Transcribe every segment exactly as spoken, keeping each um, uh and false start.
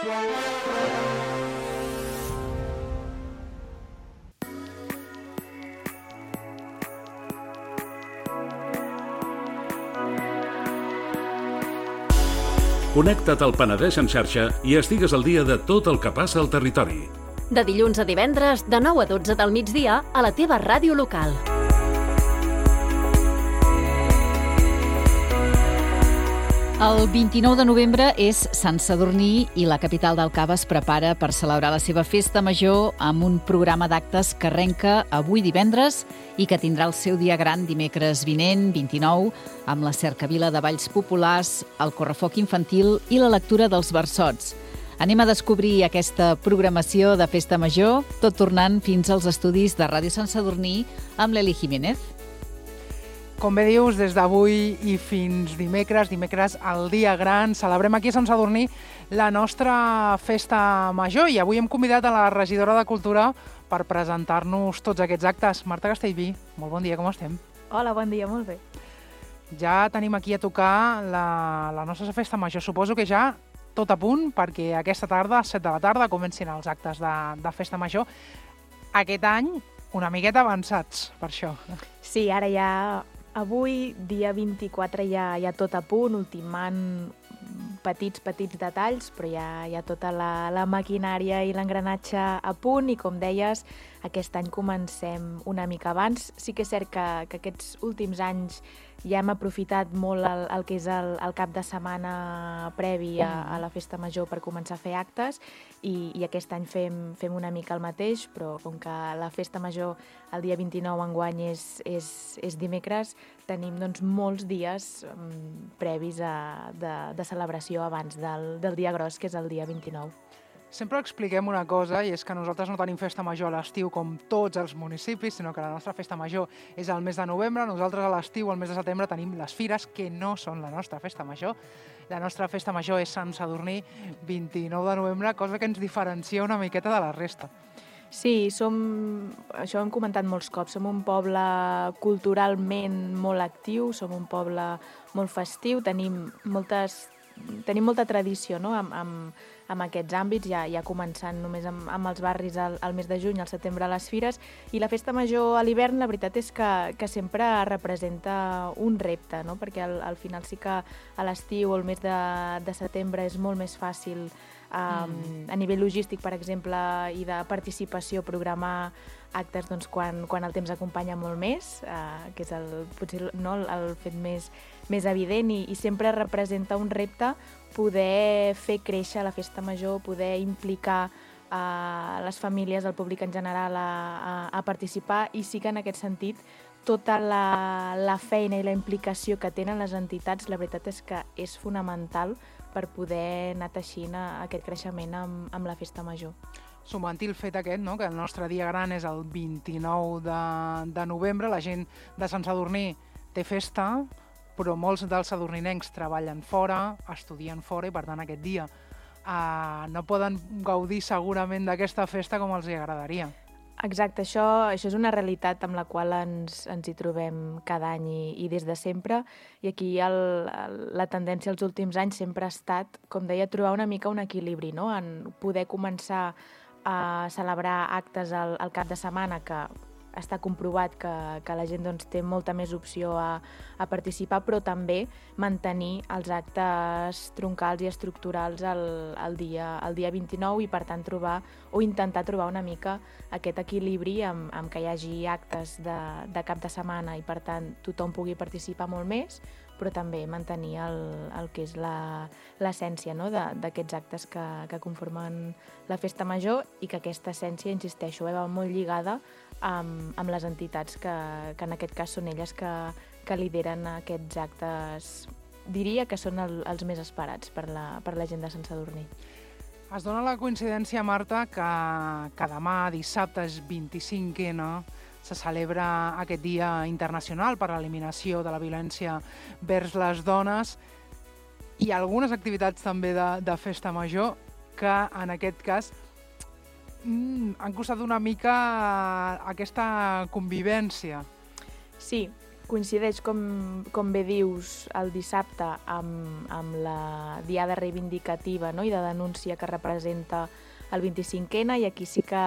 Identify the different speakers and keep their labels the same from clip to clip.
Speaker 1: Connecta't al Penedès en xarxa i estigues al dia de tot el que passa al territori.
Speaker 2: De dilluns a divendres, de nou a dotze del migdia, a la teva ràdio local.
Speaker 3: El vint-i-nou de novembre és Sant Sadurní i la capital del Cava es prepara per celebrar la seva festa major amb un programa d'actes que arrenca avui divendres i que tindrà el seu dia gran dimecres vinent, vint-i-nou, amb la cercavila de balls populars, el correfoc infantil i la lectura dels versots. Anem a descobrir aquesta programació de festa major, tot tornant fins als estudis de Ràdio Sant Sadurní amb l'Eli Jiménez.
Speaker 4: Com bé dius, des d'avui i fins dimecres, dimecres al dia gran, celebrem aquí a Sant Sadurní la nostra festa major i avui hem convidat a la regidora de Cultura per presentar-nos tots aquests actes. Marta Castellví, molt bon dia, com estem?
Speaker 5: Hola, bon dia, molt bé.
Speaker 4: Ja tenim aquí a tocar la, la nostra festa major. Suposo que ja tot a punt perquè aquesta tarda, a set de la tarda, comencin els actes de, de festa major. Aquest any una miqueta avançats, per això.
Speaker 5: Sí, ara ja... Avui, dia vint-i-quatre, ja, ja tot a punt, ultimant petits, petits detalls, però ja, ja tota la, la maquinària i l'engranatge a punt i, com deies, aquest any comencem una mica abans. Sí que és cert que, que aquests últims anys ja hem aprofitat molt el, el que és el, el cap de setmana previ a, a la festa major per començar a fer actes i, i aquest any fem, fem una mica el mateix, però com que la festa major el dia vint-i-nou enguany és, és, és dimecres, tenim doncs, molts dies um, previs a, de, de celebració abans del, del dia gros, que és el dia vint-i-nou.
Speaker 4: Sempre expliquem una cosa, i és que nosaltres no tenim festa major a l'estiu com tots els municipis, sinó que la nostra festa major és al mes de novembre. Nosaltres a l'estiu, al mes de setembre, tenim les fires, que no són la nostra festa major. La nostra festa major és Sant Sadurní, vint-i-nou de novembre, cosa que ens diferencia una miqueta de la resta.
Speaker 5: Sí, som, això ho hem comentat molts cops, som un poble culturalment molt actiu, som un poble molt festiu, tenim moltes... Tenim molta tradició, no?, amb, amb, amb aquests àmbits, ja, ja començant només amb, amb els barris al, al mes de juny, al setembre a les fires, i la festa major a l'hivern, la veritat és que, que sempre representa un repte, no?, perquè al, al final sí que a l'estiu o el mes de, de setembre és molt més fàcil Um, mm. a nivell logístic, per exemple, i de participació, programar actes doncs, quan, quan el temps acompanya molt més, uh, que és el, potser no, el, el fet més, més evident i, i sempre representa un repte poder fer créixer la festa major, poder implicar uh, les famílies, el públic en general a, a, a participar, i sí que en aquest sentit tota la, la feina i la implicació que tenen les entitats, la veritat és que és fonamental per poder anar teixint aquest creixement amb, amb la festa major.
Speaker 4: Sumant-hi el fet aquest, no?, que el nostre dia gran és el vint-i-nou de, de novembre, la gent de Sant Sadurní té festa, però molts dels sadurninencs treballen fora, estudien fora, i per tant aquest dia eh, no poden gaudir segurament d'aquesta festa com els agradaria.
Speaker 5: Exacte, això, això és una realitat amb la qual ens, ens hi trobem cada any i, i des de sempre, i aquí el, el, la tendència als últims anys sempre ha estat, com deia, trobar una mica un equilibri, no?, en poder començar a celebrar actes al, al cap de setmana, que està comprovat que, que la gent doncs, té molta més opció a, a participar, però també mantenir els actes troncals i estructurals el, el, dia, el dia vint-i-nou i, per tant, trobar o intentar trobar una mica aquest equilibri amb, amb que hi hagi actes de, de cap de setmana i, per tant, tothom pugui participar molt més, però també mantenir el, el que és l'essència, no?, d'aquests actes que, que conformen la festa major, i que aquesta essència, insisteixo, eh, va molt lligada amb, amb les entitats que, que en aquest cas són elles que, que lideren aquests actes, diria que són el, els més esperats per la, per la gent de Sant Sadurní.
Speaker 4: Es dona la coincidència, Marta, que, que demà, dissabte, és vint-i-cinc ena, se celebra aquest Dia Internacional per a l'Eliminació de la Violència vers les Dones, i algunes activitats també de, de festa major que en aquest cas mm, han costat una mica aquesta convivència.
Speaker 5: Sí, coincideix, com, com bé dius, el dissabte amb, amb la diada reivindicativa, no? I de denúncia que representa el vint-i-cinc ena, i aquí sí que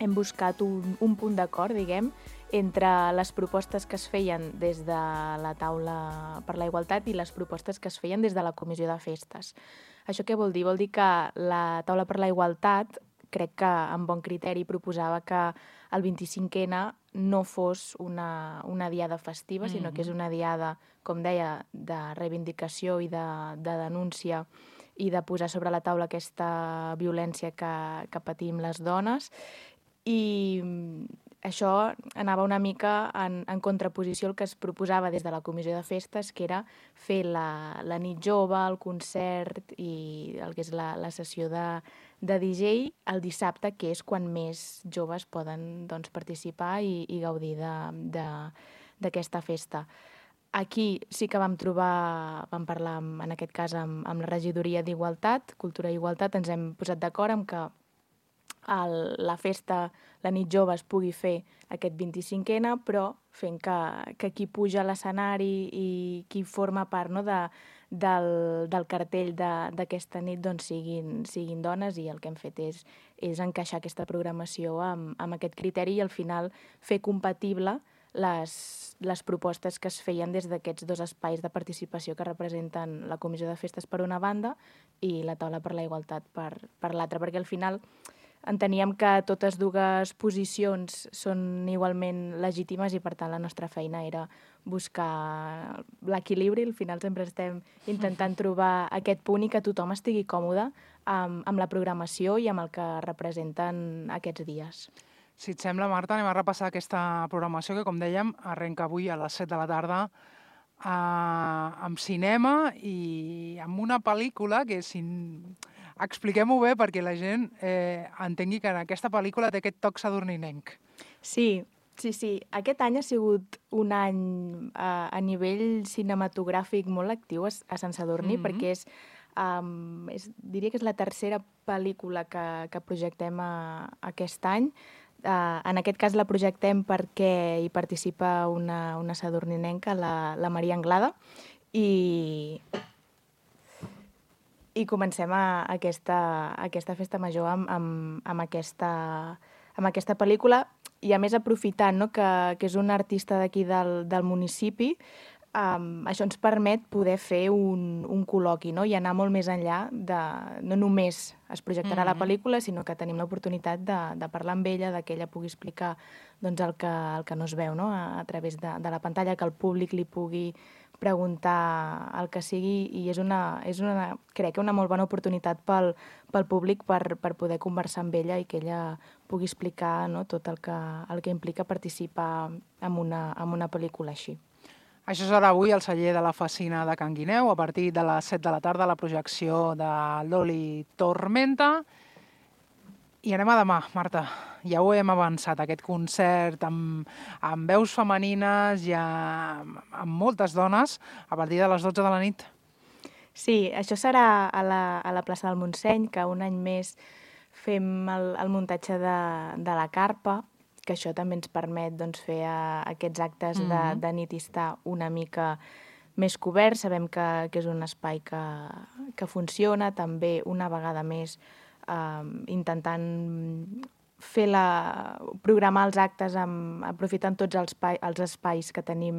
Speaker 5: hem buscat un, un punt d'acord, diguem, entre les propostes que es feien des de la taula per la igualtat i les propostes que es feien des de la comissió de festes. Això què vol dir? Vol dir que la taula per la igualtat, crec que amb bon criteri, proposava que el vint-i-cinc ena no fos una, una diada festiva, sinó que és una diada, com deia, de reivindicació i de, de denúncia i de posar sobre la taula aquesta violència que, que patim les dones. I això anava una mica en, en contraposició al que es proposava des de la comissió de festes, que era fer la, la nit jove, el concert i el que és la, la sessió de, de D J el dissabte, que és quan més joves poden doncs, participar i, i gaudir d'aquesta festa. Aquí sí que vam trobar, vam parlar amb, en aquest cas amb, amb la regidoria d'Igualtat, Cultura i Igualtat, ens hem posat d'acord amb que el, la festa, la nit jove es pugui fer aquest vint-i-cinc ena, però fent que, que qui puja a l'escenari i qui forma part, no, de, del, del cartell d'aquesta nit doncs siguin, siguin dones, i el que hem fet és, és encaixar aquesta programació amb, amb aquest criteri i al final fer compatible les, les propostes que es feien des d'aquests dos espais de participació que representen la Comissió de Festes per una banda i la Taula per la Igualtat per, per l'altra, perquè al final enteníem que totes dues posicions són igualment legítimes i, per tant, la nostra feina era buscar l'equilibri. Al final sempre estem intentant trobar aquest punt i que tothom estigui còmode amb, amb la programació i amb el que representen aquests dies.
Speaker 4: Si et sembla, Marta, anem a repassar aquesta programació que, com dèiem, arrenca avui a les set de la tarda eh, amb cinema i amb una pel·lícula que, si... expliquem-ho bé perquè la gent eh, entengui que en aquesta pel·lícula té aquest toc sadurninenc.
Speaker 5: Sí, sí, sí. Aquest any ha sigut un any a, a nivell cinematogràfic molt actiu a, a Sant Sadurní, mm-hmm. perquè és, um, és, diria que és la tercera pel·lícula que, que projectem a, aquest any. Uh, en aquest cas la projectem perquè hi participa una, una sadurninenca, la, la Maria Anglada, i... I comencem a aquesta, aquesta festa major amb, amb, amb, aquesta, amb aquesta pel·lícula, i a més aprofitant, no, que, que és un artista d'aquí del, del municipi, um, això ens permet poder fer un, un col·loqui, no, i anar molt més enllà de... No només es projectarà mm-hmm. la pel·lícula, sinó que tenim l'oportunitat de, de parlar amb ella, de que ella pugui explicar doncs, el, que, el que no es veu, no, a, a través de, de la pantalla, que el públic li pugui preguntar el que sigui, i és una, és una crec que una molt bona oportunitat pel, pel públic per, per poder conversar amb ella i que ella pugui explicar, no, tot el que, el que implica participar en una, en una pel·lícula així.
Speaker 4: Això serà avui al celler de la Facina de Can Guineu, a partir de les set de la tarda, la projecció de l'Oli Tormenta. I anem a demà, Marta. Ja ho hem avançat, aquest concert amb, amb veus femenines i amb, amb moltes dones a partir de les dotze de la nit.
Speaker 5: Sí, això serà a la, a la plaça del Montseny, que un any més fem el, el muntatge de, de la carpa, que això també ens permet doncs, fer a, aquests actes mm-hmm. de, de nit i estar una mica més cobert. Sabem que, que és un espai que, que funciona, també una vegada més Uh, intentant fer la, programar els actes amb, aprofitant tots els, pa, els espais que tenim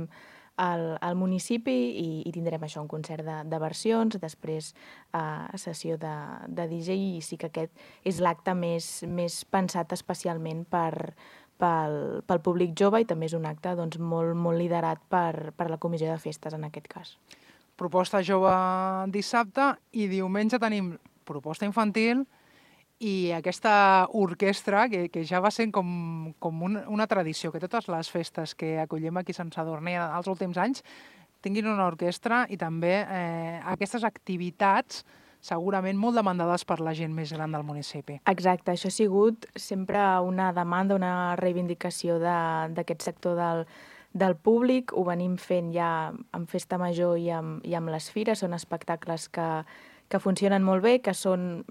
Speaker 5: al, al municipi, i, i tindrem això, un concert de, de versions, després uh, sessió de, de D J, i sí que aquest és l'acte més, més pensat especialment per, pel, pel públic jove, i també és un acte doncs, molt, molt liderat per, per la comissió de festes en aquest cas.
Speaker 4: Proposta jove dissabte, i diumenge tenim proposta infantil i aquesta orquestra que, que ja va sent com, com una, una tradició, que totes les festes que acollim aquí a Sant Sadurní els últims anys tinguin una orquestra, i també eh, aquestes activitats segurament molt demandades per la gent més gran del municipi.
Speaker 5: Exacte, això ha sigut sempre una demanda, una reivindicació d'aquest sector del, del públic. Ho venim fent ja amb Festa Major i amb, i amb les fires. Són espectacles que, que funcionen molt bé, que són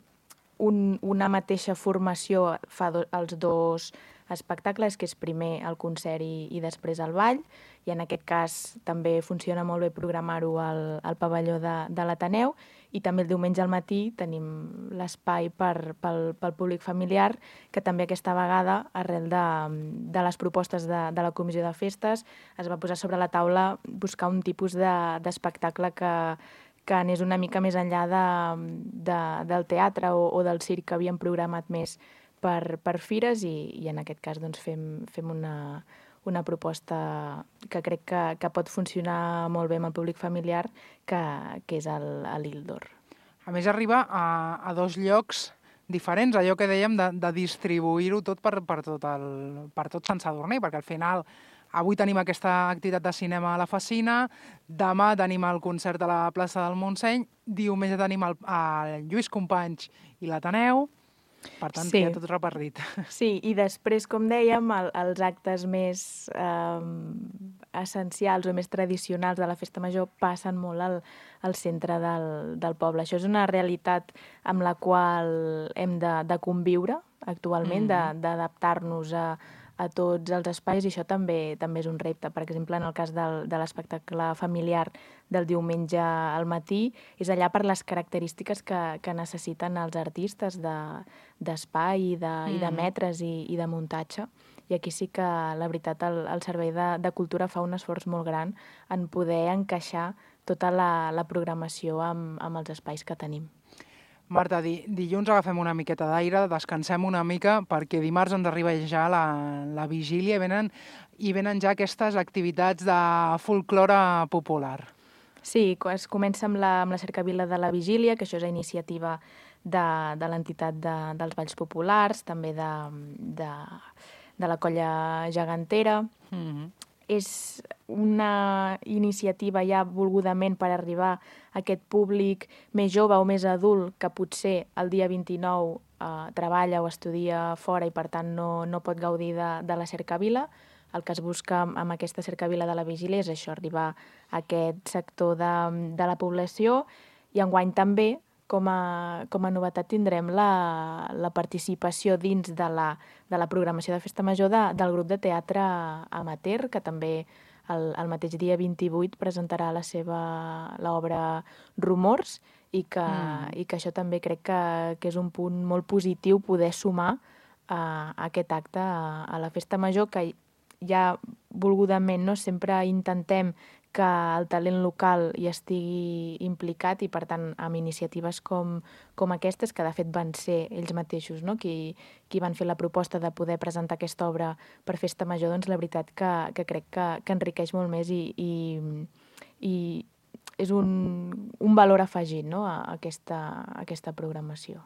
Speaker 5: Un, una mateixa formació fa do, els dos espectacles, que és primer el concert i, i després el ball, i en aquest cas també funciona molt bé programar-ho al, al pavelló de, de l'Ateneu, i també el diumenge al matí tenim l'espai per, pel, pel públic familiar, que també aquesta vegada, arrel de, de les propostes de, de la Comissió de Festes, es va posar sobre la taula buscar un tipus d'espectacle de, que, que anés una mica més enllà de, de, del teatre o, o del circ que havíem programat més per, per fires, i, i en aquest cas doncs, fem, fem una, una proposta que crec que, que pot funcionar molt bé amb el públic familiar, que, que és l'Ildor.
Speaker 4: A més, arriba a, a dos llocs diferents, allò que dèiem de, de distribuir-ho tot per, per, tot el, per tot Sant Sadurní, perquè al final avui tenim aquesta activitat de cinema a la Facina, demà tenim el concert a la plaça del Montseny, diumenge tenim el, el Lluís Companys i l'Ateneu, per tant, sí. Queda tot repartit.
Speaker 5: Sí, i després, com dèiem, el, els actes més eh, essencials o més tradicionals de la Festa Major passen molt al, al centre del, del poble. Això és una realitat amb la qual hem de, de conviure actualment, mm-hmm. d'adaptar-nos a, a tots els espais, i això també també és un repte. Per exemple, en el cas del, de l'espectacle familiar del diumenge al matí, és allà per les característiques que, que necessiten els artistes d'espai, de, de, mm. i de metres i, i de muntatge. I aquí sí que, la veritat, el, el Servei de, de Cultura fa un esforç molt gran en poder encaixar tota la, la programació amb, amb els espais que tenim.
Speaker 4: Marta, di, dilluns agafem una miqueta d'aire, descansem una mica, perquè dimarts ens arriba ja la, la vigília i venen, i venen ja aquestes activitats de folklore popular.
Speaker 5: Sí, es comença amb la, amb la cercavila de la vigília, que això és a iniciativa de, de l'entitat de, dels Balls Populars, també de, de, de la Colla Gegantera. Mm-hmm. És una iniciativa ja volgudament per arribar a aquest públic més jove o més adult que potser el dia vint-i-nou eh, treballa o estudia fora i per tant no, no pot gaudir de, de la cercavila. El que es busca amb aquesta cercavila de la vigília és això, arribar a aquest sector de, de la població, i enguany també com a, com a novetat tindrem la, la participació dins de la, de la programació de Festa Major de, del grup de teatre amateur, que també el, el mateix dia vint-i-vuit presentarà la seva l'obra Rumors, i que, mm. i que això també crec que, que és un punt molt positiu poder sumar a, a aquest acte a, a la Festa Major, que ja volgudament no sempre intentem que el talent local hi estigui implicat, i per tant amb iniciatives com, com aquestes, que de fet van ser ells mateixos, no? qui, qui van fer la proposta de poder presentar aquesta obra per Festa Major, doncs la veritat que, que crec que, que enriqueix molt més i, i, i és un, un valor afegit, no? a, aquesta, a aquesta programació.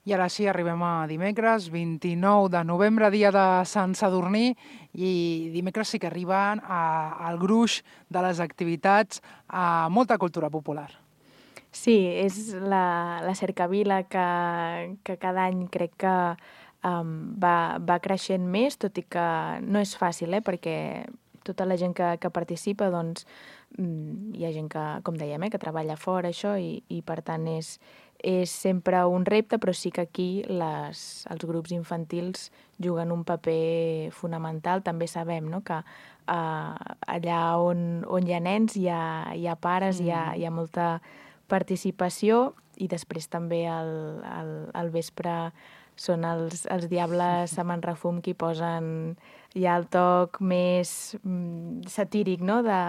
Speaker 4: I ara sí, arribem a dimecres, vint-i-nou de novembre, dia de Sant Sadurní, i dimecres sí que arriben a, al gruix de les activitats a molta cultura popular.
Speaker 5: Sí, és la, la cercavila que, que cada any crec que um, va, va creixent més, tot i que no és fàcil, eh, perquè tota la gent que, que participa, doncs, hi ha gent que, com dèiem, eh, que treballa fora, això, i, i per tant és, és sempre un repte, però sí que aquí les, els grups infantils juguen un paper fonamental. També sabem, no?, que uh, allà on, on hi ha nens hi ha, hi ha pares, mm. hi, ha, hi ha molta participació, i després també al, al, al vespre són els, els Diables a Manrefum qui posen ja el toc més mm, satíric, no?, de,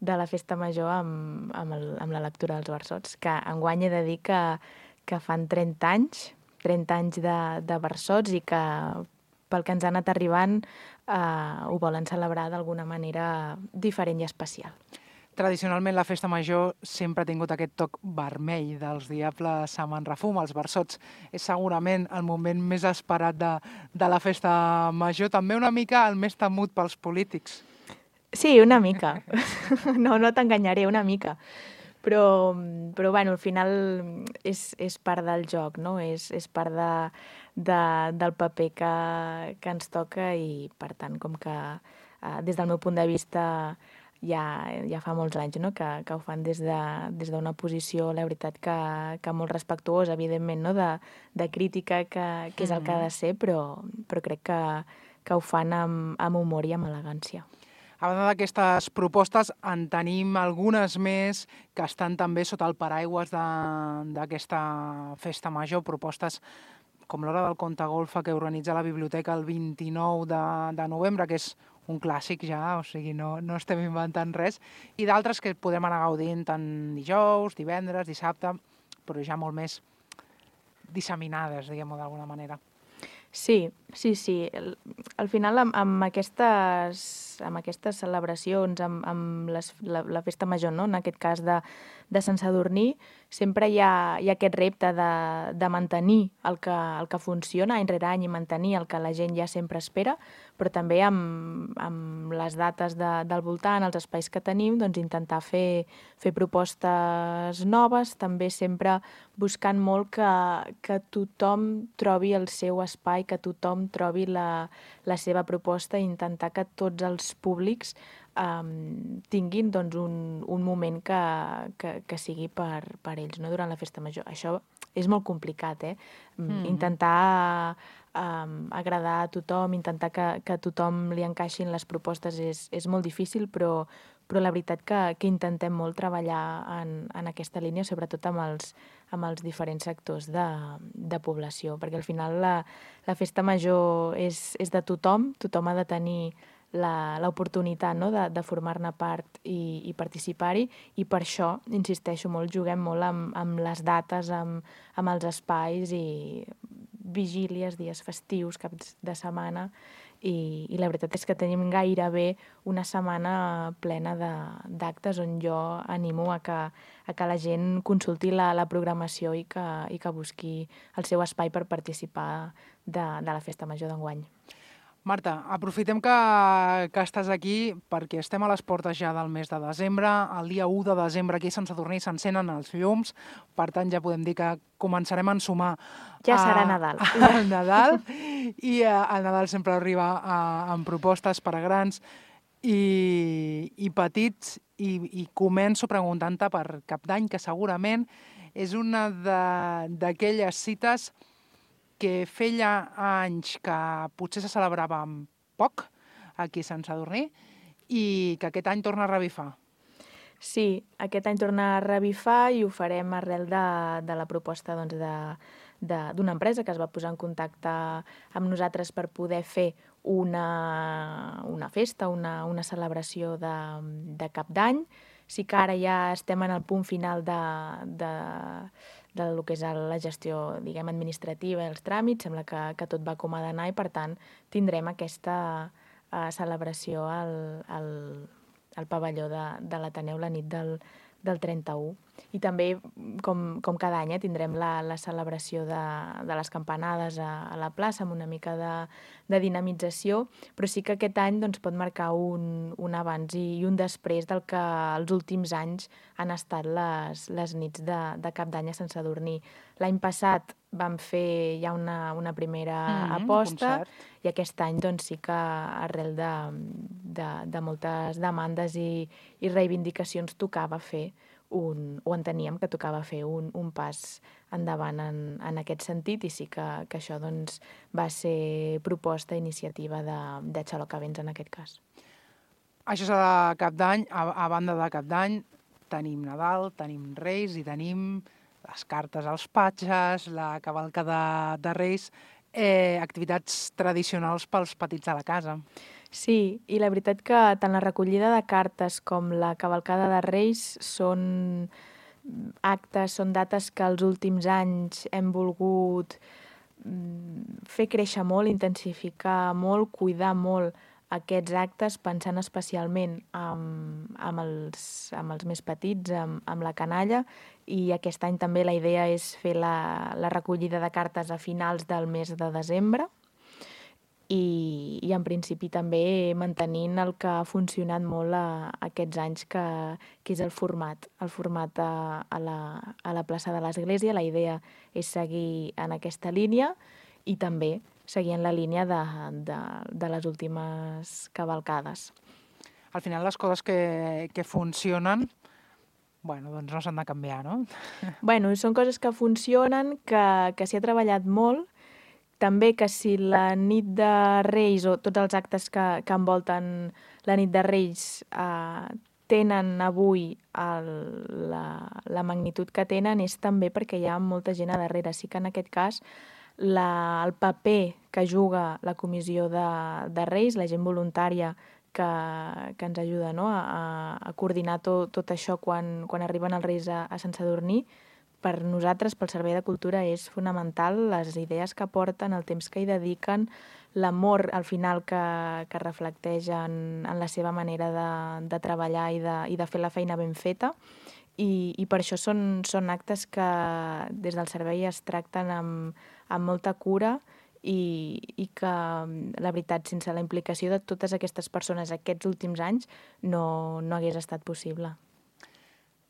Speaker 5: de la Festa Major amb, amb, el, amb la lectura dels versots, que enguany he de dir que, que fan trenta anys, trenta anys de, de versots, i que pel que ens ha anat arribant eh, ho volen celebrar d'alguna manera diferent i especial.
Speaker 4: Tradicionalment la Festa Major sempre ha tingut aquest toc vermell dels Diables a Manrefum. Els versots és segurament el moment més esperat de, de la Festa Major, també una mica el més temut pels polítics.
Speaker 5: Sí, una mica. No, no t'enganyaré, una mica. Però, però bueno, al final és, és part del joc, no? És, és part de, de, del paper que, que ens toca, i per tant, com que eh, des del meu punt de vista ja, ja fa molts anys, no? que, que ho fan des d'una de, des d'una posició, la veritat, que, que molt respectuosa, evidentment, no? de, de crítica, que, que és el que ha de ser, però, però crec que, que ho fan amb, amb humor i amb elegància.
Speaker 4: A banda d'aquestes propostes, en tenim algunes més que estan també sota el paraigües d'aquesta festa major, propostes com l'Hora del Conte Golfa que organitza la biblioteca el vint-i-nou de, de novembre, que és un clàssic ja, o sigui, no, no estem inventant res, i d'altres que podem anar gaudint tant dijous, divendres, dissabte, però ja molt més disseminades, diguem-ho d'alguna manera.
Speaker 5: Sí, sí, sí. Al, al final, amb, amb, aquestes, amb aquestes celebracions, amb, amb les, la, la festa major, no? En aquest cas de, de Sant Sadurní, sempre hi ha, hi ha aquest repte de, de mantenir el que, el que funciona any rere any i mantenir el que la gent ja sempre espera, però també amb, amb les dates de, del voltant, els espais que tenim, doncs intentar fer, fer propostes noves, també sempre buscant molt que, que tothom trobi el seu espai, que tothom trobi la, la seva proposta i intentar que tots els públics um, tinguin doncs, un, un moment que, que, que sigui per, per ells, no? Durant la festa major. Això és molt complicat, eh? Mm. Intentar um, agradar a tothom, intentar que, que a tothom li encaixin les propostes és, és molt difícil, però, però la veritat que, que intentem molt treballar en, en aquesta línia, sobretot amb els, amb els diferents sectors de, de població, perquè al final la, la festa major és, és de tothom, tothom ha de tenir l'oportunitat, no? de, de formar-ne part i, i participar-hi, i per això, insisteixo molt, juguem molt amb, amb les dates, amb, amb els espais i vigílies, dies festius, caps de setmana, i, i la veritat és que tenim gairebé una setmana plena d'actes on jo animo a que, a que la gent consulti la, la programació i que, i que busqui el seu espai per participar de, de la festa major d'enguany.
Speaker 4: Marta, aprofitem que, que estàs aquí perquè estem a les portes ja del mes de desembre. El dia u de desembre aquí a Sant Sadurní s'encenen els llums, per tant ja podem dir que començarem a ensumar
Speaker 5: ja serà a, Nadal.
Speaker 4: A, a Nadal, i a, el Nadal sempre arriba a, amb propostes per a grans i, i petits, i, i començo preguntant-te per Cap d'Any, que segurament és una d'aquelles cites que feia anys que potser se celebrava poc aquí a Sant Sadurní i que aquest any torna a revifar.
Speaker 5: Sí, aquest any torna a revifar i ho farem arrel de, de la proposta doncs, d'una empresa que es va posar en contacte amb nosaltres per poder fer una, una festa, una, una celebració de, de Cap d'Any. Sí que ara ja estem en el punt final de... de de lo que és la gestió, diguem, administrativa i els tràmits, sembla que, que tot va com ha d'anar i, per tant, tindrem aquesta uh, celebració al, al, al pavelló de, de l'Ateneu la nit del, del trenta-u. I també, com, com cada any, eh, tindrem la, la celebració de, de les campanades a, a la plaça amb una mica de, de dinamització, però sí que aquest any doncs, pot marcar un, un abans i un després del que els últims anys han estat les, les nits de, de Cap d'Any a Sant Sadurní. L'any passat vam fer ja una, una primera mm-hmm, aposta i aquest any doncs, sí que arrel de, de, de moltes demandes i, i reivindicacions tocava fer un, o enteníem que tocava fer un, un pas endavant en, en aquest sentit, i sí que, que això doncs, va ser proposta, iniciativa de, de Xalocavents en aquest cas.
Speaker 4: Això serà Cap d'Any. A, a banda de Cap d'Any tenim Nadal, tenim Reis i tenim les cartes als patges, la cavalcada de Reis, eh, activitats tradicionals pels petits de la casa.
Speaker 5: Sí, i la veritat que tant la recollida de cartes com la cavalcada de Reis són actes, són dates que els últims anys hem volgut fer créixer molt, intensificar molt, cuidar molt aquests actes, pensant especialment amb, amb, els, amb els més petits, amb, amb la canalla, i aquest any també la idea és fer la, la recollida de cartes a finals del mes de desembre, i, i en principi també mantenint el que ha funcionat molt a, a aquests anys, que, que és el format, el format a, a, la, a la plaça de l'Església. La idea és seguir en aquesta línia i també seguir en la línia de, de, de les últimes cavalcades.
Speaker 4: al final les coses que, que funcionen, bueno, doncs no s'han de canviar, no?
Speaker 5: Bueno, són coses que funcionen, que, que s'hi ha treballat molt, també que si la nit de Reis o tots els actes que, que envolten la nit de Reis eh, tenen avui el, la, la magnitud que tenen és també perquè hi ha molta gent a darrere. Sí que en aquest cas la, el paper que juga la comissió de, de Reis, la gent voluntària que, que ens ajuda, no? a, a coordinar tot, tot això quan, quan arriben els Reis a, a Sant Sadurní, per nosaltres, pel Servei de Cultura, és fonamental les idees que porten, el temps que hi dediquen, l'amor al final que, que reflecteix en, en la seva manera de, de treballar i de, i de fer la feina ben feta. I, i per això són, són actes que des del servei es tracten amb, amb molta cura i, i que, la veritat, sense la implicació de totes aquestes persones aquests últims anys no, no hagués estat possible.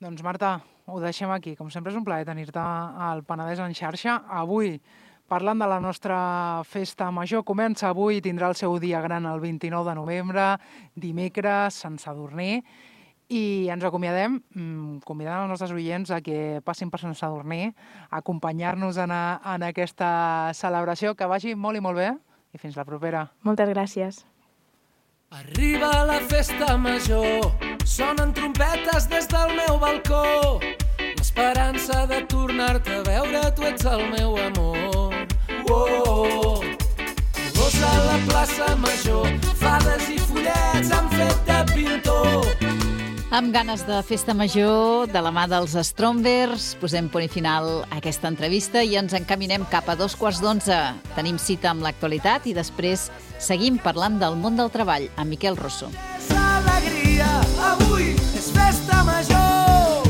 Speaker 4: Doncs Marta, ho deixem aquí. Com sempre és un plaer tenir-te al Penedès en xarxa. Avui, parlant de la nostra festa major, comença avui i tindrà el seu dia gran el vint-i-nou de novembre, dimecres, Sant Sadurní, i ens acomiadem convidant els nostres oients a que passin per Sant Sadurní, a acompanyar-nos en, a, en aquesta celebració. Que vagi molt i molt bé i fins la propera.
Speaker 5: Moltes gràcies.
Speaker 6: Arriba la festa major, sonen trompetes des del meu balcó, l'esperança de tornar-te a veure, tu ets el meu amor. Oh, colors a la plaça major, fades i follets han fet de pintor.
Speaker 3: Amb ganes de festa major, de la mà dels Strombers, posem punt i final a aquesta entrevista i ens encaminem cap a dos quarts d'onze. Tenim cita amb l'actualitat i després seguim parlant del món del treball amb Miquel Rosso.
Speaker 6: És alegria, avui és festa major.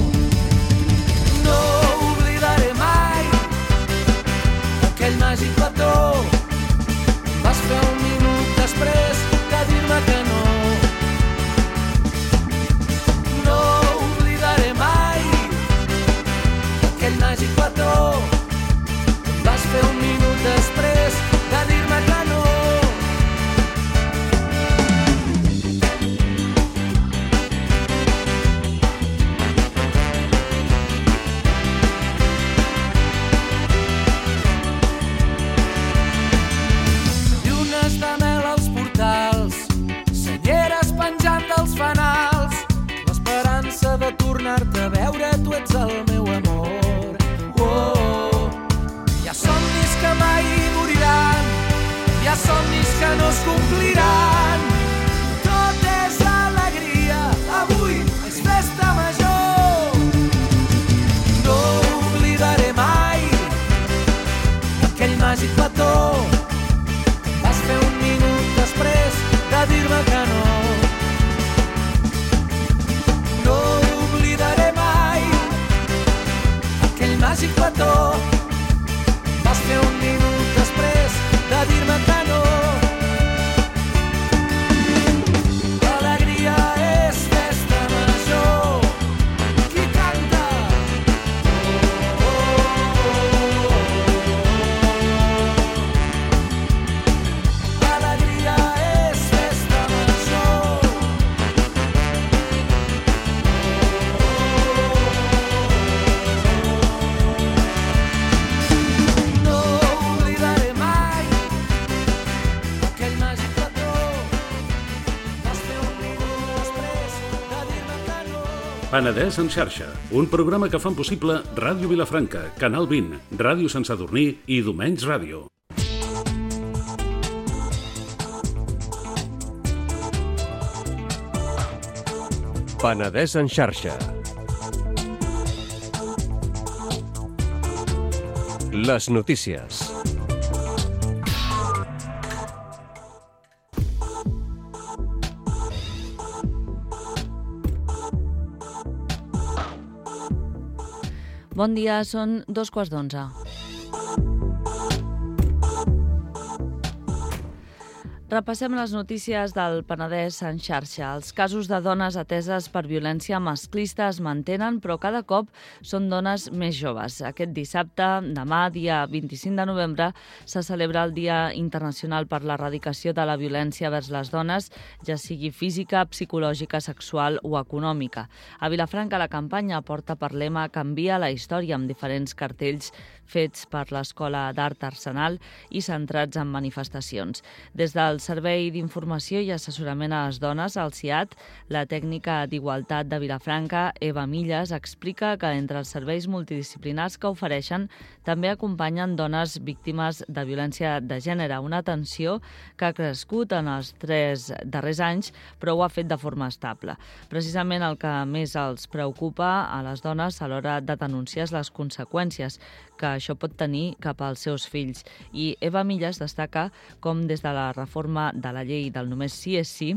Speaker 6: No oblidaré mai aquell màgic petó. Vas fer un minut després de dir-me que no. No oblidaré mai aquell màgic petó. Vas fer un minut després de dir-me que no. Llunes de mel als portals, senyeres penjant dels fanals, l'esperança de tornar-te a veure, tu ets el meu amor. Oh, hi ha somnis que mai moriran, hi ha somnis que no es compliran. Tot és alegria, avui és festa major. No oblidaré mai aquell màgic petó. Vas fer un minut després de dir-me que no. No oblidaré mai aquell màgic petó. Vas fer un minut després de dir-me que no. L'alegria és festa major. Qui canta? Oh, oh, oh, oh. L'alegria és festa major. No oblidaré mai aquell màgic petó. Vas fer un minut després de dir-me que no.
Speaker 1: Penedès en xarxa, un programa que fan possible Ràdio Vilafranca, Canal vint, Ràdio Sant Sadurní i Domenys Ràdio.
Speaker 7: Penedès en xarxa. Les notícies.
Speaker 8: Bon dia, són dos quarts d'onze. Repassem les notícies del Penedès en xarxa. Els casos de dones ateses per violència masclista es mantenen, però cada cop són dones més joves. Aquest dissabte, demà, dia vint-i-cinc de novembre, se celebra el Dia Internacional per l'Erradicació de la Violència vers les dones, ja sigui física, psicològica, sexual o econòmica. A Vilafranca la campanya porta per lema Canvia la història, amb diferents cartells fets per l'Escola d'Art Arsenal i centrats en manifestacions. Des del Servei d'Informació i Assessorament a les Dones, el C I A T, la tècnica d'Igualtat de Vilafranca, Eva Milles, explica que entre els serveis multidisciplinars que ofereixen també acompanyen dones víctimes de violència de gènere, una atenció que ha crescut en els tres darrers anys, però ho ha fet de forma estable. Precisament el que més els preocupa a les dones a l'hora de denunciar les conseqüències que això pot tenir cap als seus fills. I Eva Milles destaca com des de la reforma de la llei del només sí és sí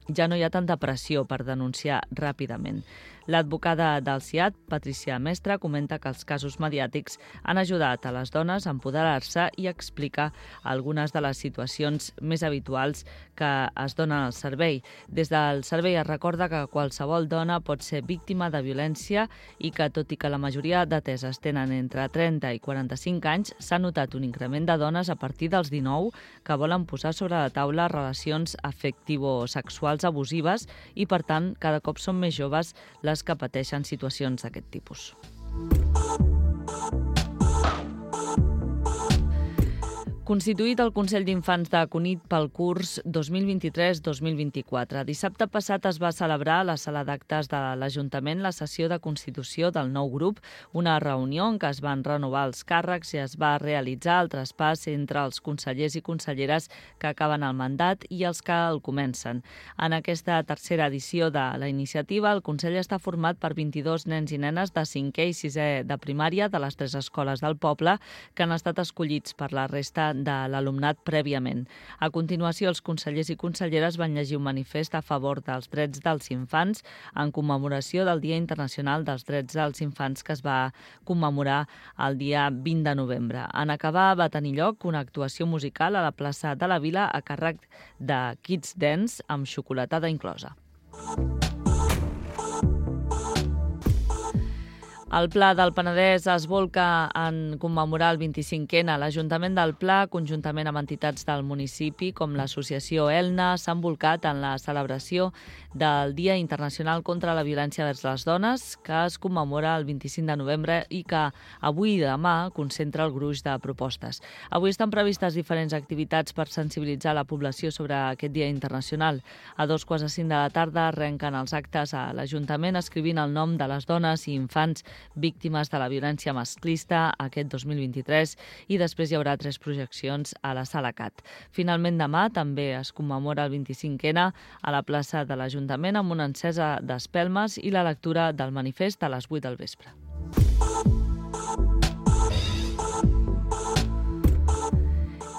Speaker 8: ja no hi ha tanta pressió per denunciar ràpidament. L'advocada del C I A T, Patricia Mestre, comenta que els casos mediàtics han ajudat a les dones a empoderar-se i explica algunes de les situacions més habituals que es donen al servei. Des del servei es recorda que qualsevol dona pot ser víctima de violència i que, tot i que la majoria d'ateses tenen entre trenta i quaranta-cinc anys, s'ha notat un increment de dones a partir dels dinou que volen posar sobre la taula relacions afectivo-sexuals abusives i, per tant, cada cop són més joves les que pateixen situacions d'aquest tipus. Constituït el Consell d'Infants de Cunit pel curs dos mil vint-i-tres dos mil vint-i-quatre. Dissabte passat es va celebrar a la sala d'actes de l'Ajuntament la sessió de constitució del nou grup, una reunió en què es van renovar els càrrecs i es va realitzar el traspàs entre els consellers i conselleres que acaben el mandat i els que el comencen. En aquesta tercera edició de la iniciativa, el Consell està format per vint-i-dos nens i nenes de cinquè i sisè de primària de les tres escoles del poble que han estat escollits per la resta de l'alumnat prèviament. A continuació, els consellers i conselleres van llegir un manifest a favor dels drets dels infants en commemoració del Dia Internacional dels Drets dels Infants que es va commemorar el dia vint de novembre. En acabar va tenir lloc una actuació musical a la plaça de la Vila a càrrec de Kids Dance amb xocolatada inclosa. El Pla del Penedès es volca en commemorar el vint-i-cinquè. L'Ajuntament del Pla, conjuntament amb entitats del municipi, com l'associació Elna, s'han volcat en la celebració del Dia Internacional contra la Violència vers les Dones, que es commemora el vint-i-cinc de novembre i que avui i demà concentra el gruix de propostes. Avui estan previstes diferents activitats per sensibilitzar la població sobre aquest Dia Internacional. A dos quarts de cinc de la tarda arrenquen els actes a l'Ajuntament escrivint el nom de les dones i infants víctimes de la violència masclista aquest dos mil vint-i-tres i després hi haurà tres projeccions a la Sala Cat. Finalment, demà també es commemora el vint-i-cinquè a la plaça de l'Ajuntament amb una encesa d'espelmes i la lectura del manifest a les vuit del vespre.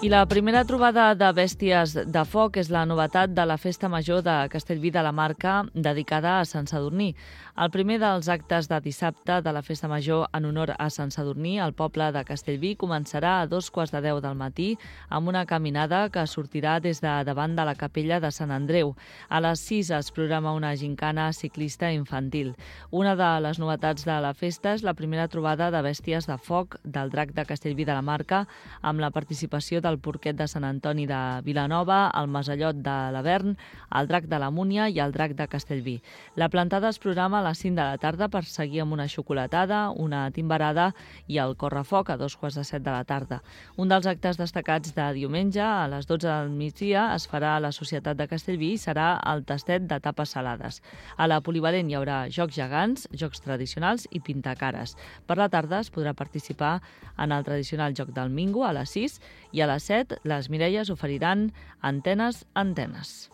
Speaker 8: I la primera trobada de bèsties de foc és la novetat de la Festa Major de Castellví de la Marca dedicada a Sant Sadurní. El primer dels actes de dissabte de la Festa Major en honor a Sant Sadurní al poble de Castellví començarà a dos quarts de deu del matí amb una caminada que sortirà des de davant de la capella de Sant Andreu. A les sis es programa una gincana ciclista infantil. Una de les novetats de la festa és la primera trobada de bèsties de foc del Drac de Castellví de la Marca amb la participació del Porquet de Sant Antoni de Vilanova, el Masallot de l'Avern, el Drac de la Múnia i el Drac de Castellví. La plantada es programa a les cinc de la tarda per seguir amb una xocolatada, una timbarada i el correfoc a dos quarts de set de la tarda. Un dels actes destacats de diumenge a les dotze del migdia es farà a la Societat de Castellví i serà el tastet de tapes salades. A la polivalent hi haurà jocs gegants, jocs tradicionals i pintacares. Per la tarda es podrà participar en el tradicional joc del Mingo a les sis i a les set les Mireies oferiran antenes antenes.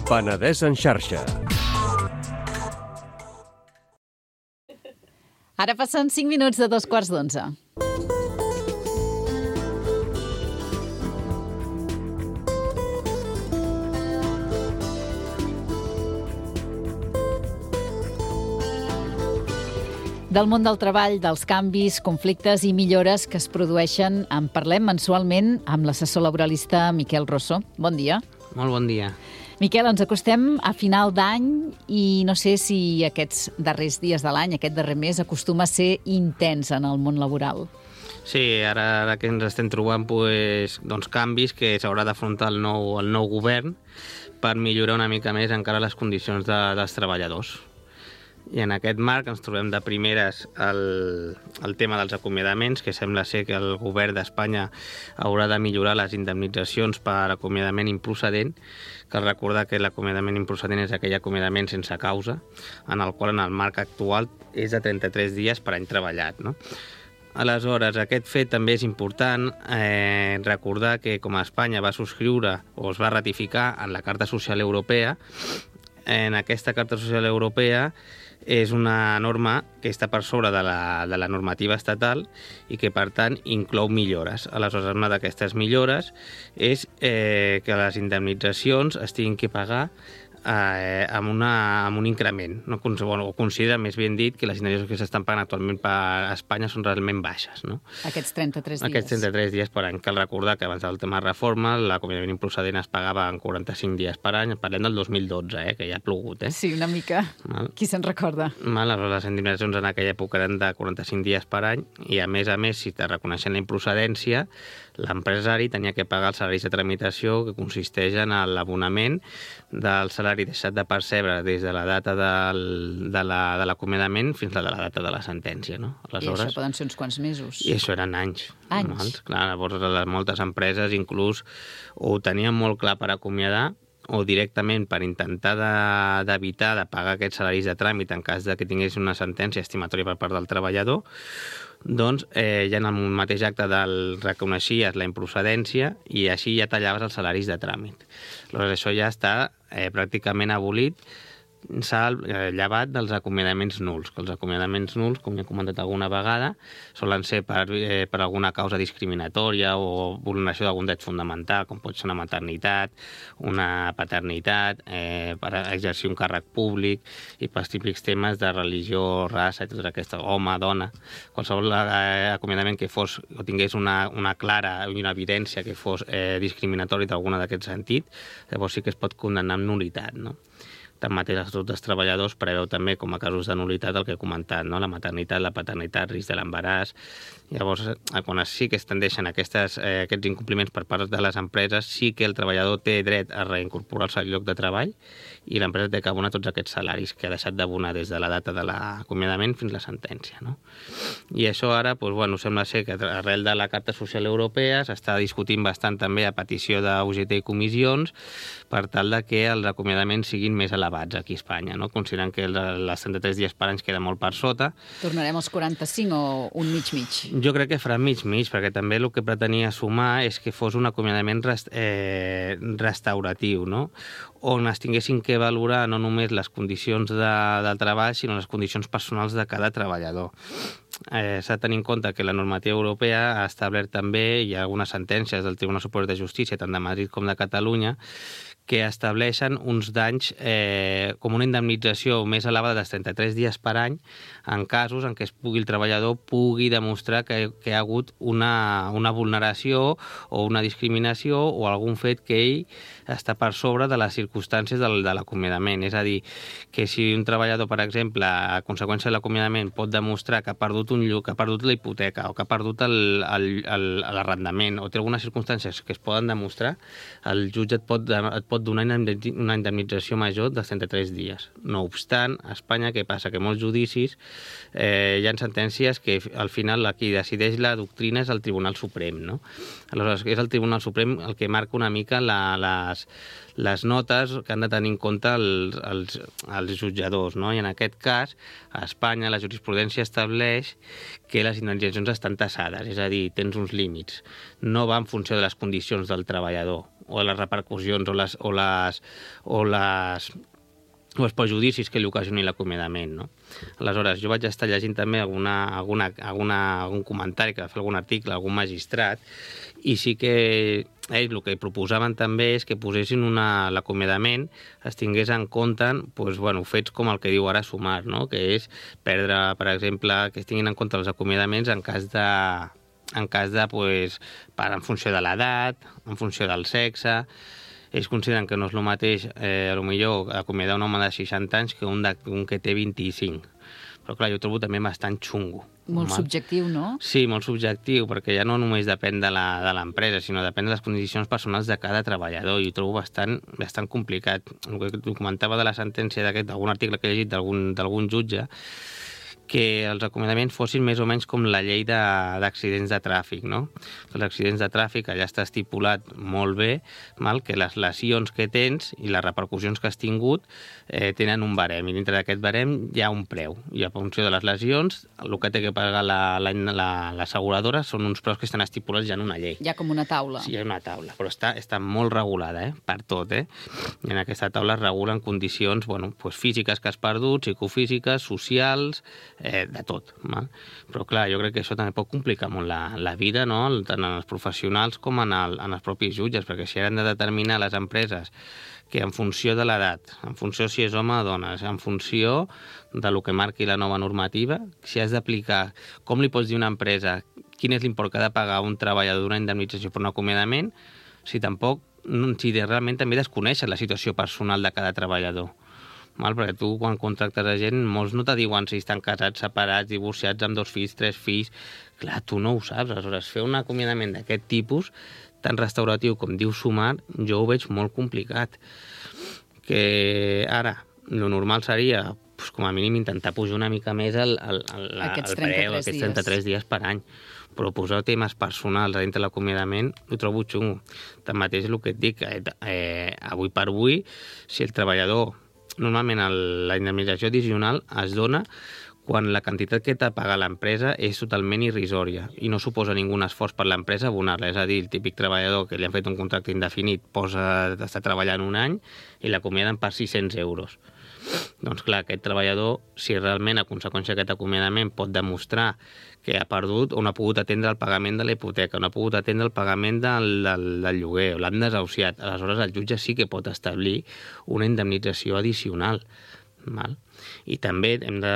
Speaker 7: Penedès en xarxa.
Speaker 3: Ara passen cinc minuts de dos quarts d'onze. Del món del treball, dels canvis, conflictes i millores que es produeixen en parlem mensualment amb l'assessor laboralista Miquel Rosso. Bon dia.
Speaker 9: Molt bon dia.
Speaker 3: Miquel, ens acostem a final d'any i no sé si aquests darrers dies de l'any, aquest darrer mes, acostuma a ser intens en el món laboral.
Speaker 9: Sí, ara, ara que ens estem trobant pues, doncs, canvis que s'haurà d'afrontar el nou, el nou govern per millorar una mica més encara les condicions de, dels treballadors. I en aquest marc ens trobem de primeres el, el tema dels acomiadaments, que sembla ser que el govern d'Espanya haurà de millorar les indemnitzacions per acomiadament improcedent. Cal recordar que l'acomiadament improcedent és aquell acomiadament sense causa, en el qual en el marc actual és de trenta-tres dies per any treballat, no? Aleshores, aquest fet també és important eh, recordar que com a Espanya va subscriure o es va ratificar en la Carta Social Europea, en aquesta Carta Social Europea és una norma que està per sobre de la, de la normativa estatal i que, per tant, inclou millores. Aleshores, una d'aquestes millores és eh, que les indemnitzacions es tinguin que pagar Eh, amb, una, amb un increment, no? O considera, més ben dit, que les indemnitzacions que s'estan pagant actualment per Espanya són realment baixes, no?
Speaker 3: Aquests trenta-tres dies.
Speaker 9: Aquests trenta-tres dies per any. Cal recordar que abans del tema de reforma l'acomiadament improcedent es pagava en quaranta-cinc dies per any. Parlem del dos mil dotze, eh, que ja ha plogut. Eh?
Speaker 3: Sí, una mica. Mal. Qui se'n recorda?
Speaker 9: Mal, les indemnitzacions en aquella època eren de quaranta-cinc dies per any i, a més a més, si te reconeixen la improcedència, l'empresari tenia que pagar els salaris de tramitació, que consisteix en l'abonament del salari deixat de percebre des de la data del, de l'acomiadament la, fins a la data de la sentència. No?
Speaker 3: Aleshores, I això poden ser uns quants mesos.
Speaker 9: I això eren anys.
Speaker 3: Anys?
Speaker 9: Mals. Clar, llavors moltes empreses inclús ho tenien molt clar per acomiadar o directament per intentar d'evitar de, de pagar aquests salaris de tràmit en cas de que tingués una sentència estimatòria per part del treballador, doncs eh, ja en el mateix acte del reconeixies la improcedència i així ja tallaves els salaris de tràmit. Aleshores, això ja està eh, pràcticament abolit, s'ha llevat dels acomiadaments nuls, que els acomiadaments nuls, com ja he comentat alguna vegada, solen ser per, eh, per alguna causa discriminatòria o vulneració d'algun dret fonamental, com pot ser una maternitat, una paternitat, eh, per exercir un càrrec públic i pels típics temes de religió, raça i tot aquesta, home, dona. Qualsevol eh, acomiadament que fos o tingués una, una clara i una evidència que fos eh, discriminatori d'alguna d'aquest sentit, llavors sí que es pot condemnar amb nul·litat, no? Tanmateix, l'Estatut dels Treballadors preveu també com a casos de nul·litat el que he comentat, no? La maternitat, la paternitat, risc de l'embaràs. Llavors, quan sí que es tendeixen aquestes, eh, aquests incompliments per part de les empreses, sí que el treballador té dret a reincorporar-se al lloc de treball i l'empresa té que abonar tots aquests salaris que ha deixat d'abonar des de la data de l'acomiadament fins a la sentència, no? I això ara, doncs, bueno, sembla ser que arrel de la Carta Social Europea s'està discutint bastant també a petició d'U G T i comissions per tal de que els acomiadaments siguin més elevats aquí a Espanya, no? Considerant que les trenta-tres dies per any queda molt per sota.
Speaker 3: Tornarem als quaranta-cinc o un mig-mig?
Speaker 9: Jo crec que farà mig-mig, perquè també el que pretenia sumar és que fos un acomiadament rest, eh, restauratiu, no? On es tinguessin que valorar no només les condicions de, del treball, sinó les condicions personals de cada treballador. Eh, S'ha de tenir en compte que la normativa europea ha establert també, hi ha algunes sentències del Tribunal Superior de Justícia, tant de Madrid com de Catalunya, que estableixen uns danys eh, com una indemnització més elevada dels trenta-tres dies per any en casos en què es pugui, el treballador pugui demostrar que, que hi ha hagut una, una vulneració o una discriminació o algun fet que ell està per sobre de les circumstàncies del, de l'acomiadament. És a dir, que si un treballador, per exemple, a conseqüència de l'acomiadament pot demostrar que ha perdut un lloc, que ha perdut la hipoteca o que ha perdut l'arrendament o té algunes circumstàncies que es poden demostrar, el jutge et pot, et pot donar una indemnització major dels trenta-tres dies. No obstant, a Espanya, què passa? Que molts judicis eh, hi ha sentències que al final qui decideix la doctrina és el Tribunal Suprem, no? Aleshores, és el Tribunal Suprem el que marca una mica la, les, les notes que han de tenir en compte els, els, els jutjadors, no? I en aquest cas, a Espanya la jurisprudència estableix que les indemnitzacions estan tassades, és a dir, tens uns límits. No va en funció de les condicions del treballador o les repercussions o les, o les, o les o els perjudicis que li ocasioni l'acomiadament, no? Aleshores, jo vaig estar llegint també alguna, alguna, alguna, algun comentari que va fer algun article, algun magistrat, i sí que ells el que proposaven també és que posessin una, l'acomiadament, es tingués en compte doncs, bueno, fets com el que diu ara Sumar, no? Que és perdre, per exemple, que es tinguin en compte els acomiadaments en cas de, en cas de, pues, per, en funció de l'edat, en funció del sexe. Ells consideren que no és el mateix, eh, potser acomiadar un home de seixanta anys que un, de, un que té vint-i-cinc. Però clar, jo trobo també bastant xungo.
Speaker 3: Molt mal. Subjectiu, no? Sí,
Speaker 9: molt subjectiu, perquè ja no només depèn de l'empresa, sinó depèn de les condicions personals de cada treballador, i ho trobo bastant, bastant complicat. El que comentava de la sentència d'algun article que he llegit d'algun jutge, que els acomiadaments fossin més o menys com la llei d'accidents de, de tràfic, no? Els accidents de tràfic allà està estipulat molt bé, mal, que les lesions que tens i les repercussions que has tingut eh, tenen un barem, i dintre d'aquest barem hi ha un preu, i a funció de les lesions el que té que pagar l'asseguradora la, la, són uns preus que estan estipulats ja en una llei.
Speaker 3: Hi ha com una taula.
Speaker 9: Sí, hi ha una taula, però està, està molt regulada, eh? Per tot, eh? I en aquesta taula es regulen condicions, bueno, pues, físiques que has perdut, psicofísiques, socials, Eh, de tot. Val? Però clar, jo crec que això també pot complicar molt la, la vida, no? Tant en els professionals com en, el, en els propis jutges, perquè si han de determinar les empreses que en funció de l'edat, en funció si és home o dona, en funció de lo que marqui la nova normativa, si has d'aplicar, com li pots dir a una empresa quin és l'import que ha de pagar un treballador d'una indemnització per un acomiadament, si tampoc, si realment també desconeixes la situació personal de cada treballador. Mal, perquè tu, quan contractes a gent, molts no te diuen si estan casats, separats, divorciats, amb dos fills, tres fills. Clar, tu no ho saps. Aleshores, fer un acomiadament d'aquest tipus, tan restauratiu com diu Sumar, jo ho veig molt complicat. Que ara, lo normal seria, pues, com a mínim, intentar pujar una mica més el, el, el, el preu, aquests trenta-tres dies per any. Però posar temes personals a dintre l'acomiadament ho trobo xungo. Tanmateix, el que et dic, eh, eh, avui per avui, si el treballador... Normalment el, la indemnització addicional es dona quan la quantitat que t'ha pagat l'empresa és totalment irrisòria i no suposa ningú esforç per l'empresa abonar-la. És a dir, el típic treballador que li han fet un contracte indefinit posa d'estar treballant un any i l'acomiaden per sis-cents euros. Doncs clar, aquest treballador, si realment a conseqüència d'aquest acomiadament pot demostrar que ha perdut o no ha pogut atendre el pagament de la hipoteca, no ha pogut atendre el pagament del, del, del lloguer, o l'han desahuciat, aleshores el jutge sí que pot establir una indemnització addicional. Val? I també hem de,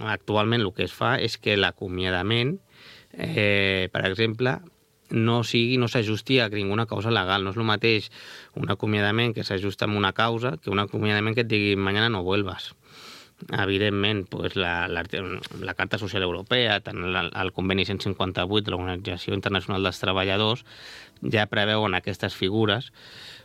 Speaker 9: actualment el que es fa és que l'acomiadament, eh, per exemple, no sigui, no s'ajusti a ninguna causa legal. No és el mateix un acomiadament que s'ajusta a una causa que un acomiadament que et digui mañana no vuelvas. Evidentment, pues la, la, la Carta Social Europea, tant el, el conveni cent cinquanta-vuit de l'Organització Internacional dels Treballadors, ja preveuen aquestes figures,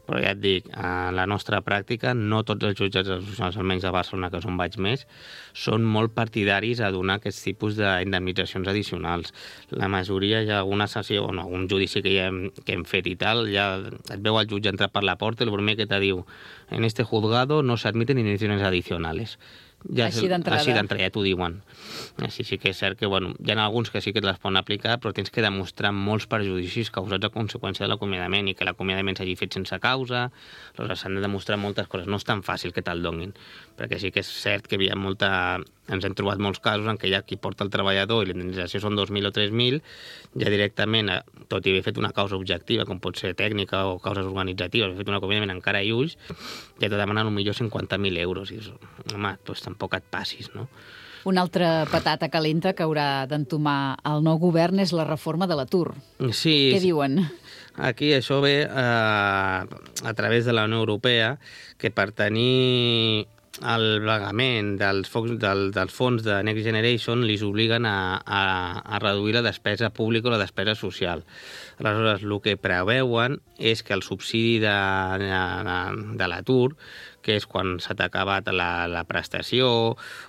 Speaker 9: però ja et dic, a la nostra pràctica, no tots els jutjats associats, almenys a Barcelona, que és on vaig més, són molt partidaris a donar aquests tipus d'indemnitzacions addicionals. La majoria, hi ha alguna sessió, o no, algun judici que, ja hem, que hem fet i tal, ja et veu el jutge entrar per la porta i el primer que te diu en este juzgado no se admiten indemnitzacions adicionales. Ja
Speaker 3: així d'entrada.
Speaker 9: Així d'entrada, ja t'ho diuen. Així sí que és cert que, bueno, hi ha alguns que sí que te les poden aplicar, però tens que demostrar molts perjudicis causats a conseqüència de l'acomiadament i que l'acomiadament s'hagi fet sense causa. Aleshores, s'han de demostrar moltes coses. No és tan fàcil que te'l donin, perquè sí que és cert que hi havia molta... Ens hem trobat molts casos en què ja qui porta el treballador i l'indemnització són dos mil o tres mil, ja directament, tot i haver fet una causa objectiva, com pot ser tècnica o causes organitzatives, haver fet un acomiadament en cara i ulls, ja te demanen potser cinquanta mil euros. I dius, home, doncs tampoc et passis, no?
Speaker 3: Una altra patata calenta que haurà d'entomar el nou govern és la reforma de l'atur.
Speaker 9: Sí.
Speaker 3: Què diuen?
Speaker 9: Aquí això ve eh, a través de la Unió Europea, que per tenir el pagament dels, del, dels fons de Next Generation li obliguen a, a, a reduir la despesa pública o la despesa social. Aleshores, el que preveuen és que el subsidi de, de, de l'atur, que és quan s'ha acabat la, la prestació,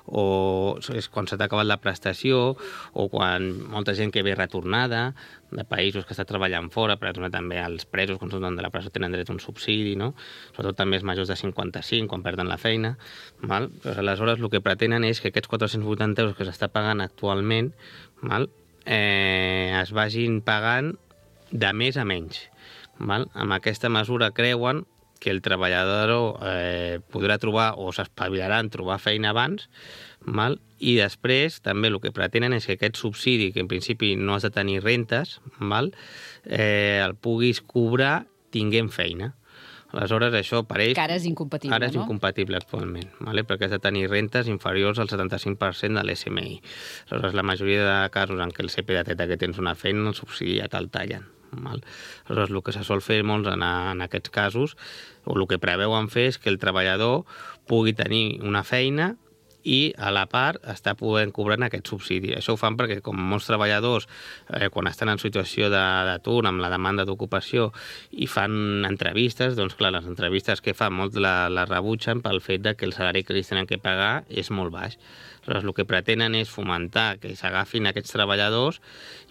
Speaker 9: o és quan s'ha acabat la prestació, o quan molta gent que ve retornada de països que està treballant fora, per exemple, també els presos, quan surten de la presó, tenen dret a un subsidi, no? Sobretot també els majors de cinquanta-cinc, quan perden la feina. Val? Però aleshores el que pretenen és que aquests quatre-cents vuitanta euros que s'està pagant actualment, val? Eh, es vagin pagant de més a menys. Val? Amb aquesta mesura creuen que el treballador eh, podrà trobar o s'espavilarà en trobar feina abans, val? I després també el que pretenen és que aquest subsidi, que en principi no has de tenir rentes, val? Eh, el puguis cobrar tinguent feina. Aleshores, això per ells...
Speaker 3: Que ara és incompatible,
Speaker 9: ara és
Speaker 3: no?
Speaker 9: incompatible actualment, vale? Perquè has de tenir rentes inferiors al setanta-cinc per cent de l'S M I. Aleshores, la majoria de casos en què el C P detecta que tens una feina, el subsidi ja te'l tallen. Val? Aleshores, el que se sol fer molts en, en aquests casos, o el que preveuen fer és que el treballador pugui tenir una feina i a la part està podent cobrar aquest subsidi. Això ho fan perquè, com molts treballadors, eh, quan estan en situació d'atur, amb la demanda d'ocupació, i fan entrevistes, doncs clar, les entrevistes que fan molts la, la rebutgen pel fet de que el salari que els tenen que pagar és molt baix. Aleshores, el que pretenen és fomentar que s'agafin aquests treballadors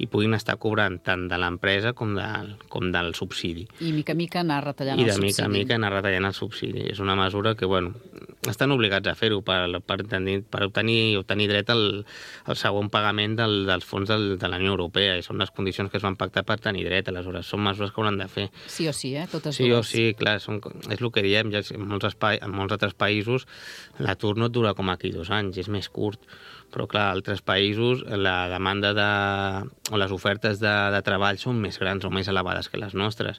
Speaker 9: i puguin estar cobrant tant de l'empresa com, de, com del subsidi.
Speaker 3: I mica a mica anar retallant
Speaker 9: I
Speaker 3: el
Speaker 9: de
Speaker 3: subsidi.
Speaker 9: mica a mica anar retallant el subsidi. És una mesura que, bueno, estan obligats a fer-ho per, per, tenir, per obtenir, obtenir dret al, al segon pagament del, dels fons del, de la Unió Europea, i són les condicions que es van pactar per tenir dret. Aleshores, són mesures que hauran de fer.
Speaker 3: Sí o sí, eh? Totes
Speaker 9: sí
Speaker 3: dues.
Speaker 9: o sí, clar, són, és el que diem, ja en molts, espai, en molts altres països l'atur no et dura com aquí dos anys, és més curt. Però, clar, a altres països la demanda de, o les ofertes de, de treball són més grans o més elevades que les nostres.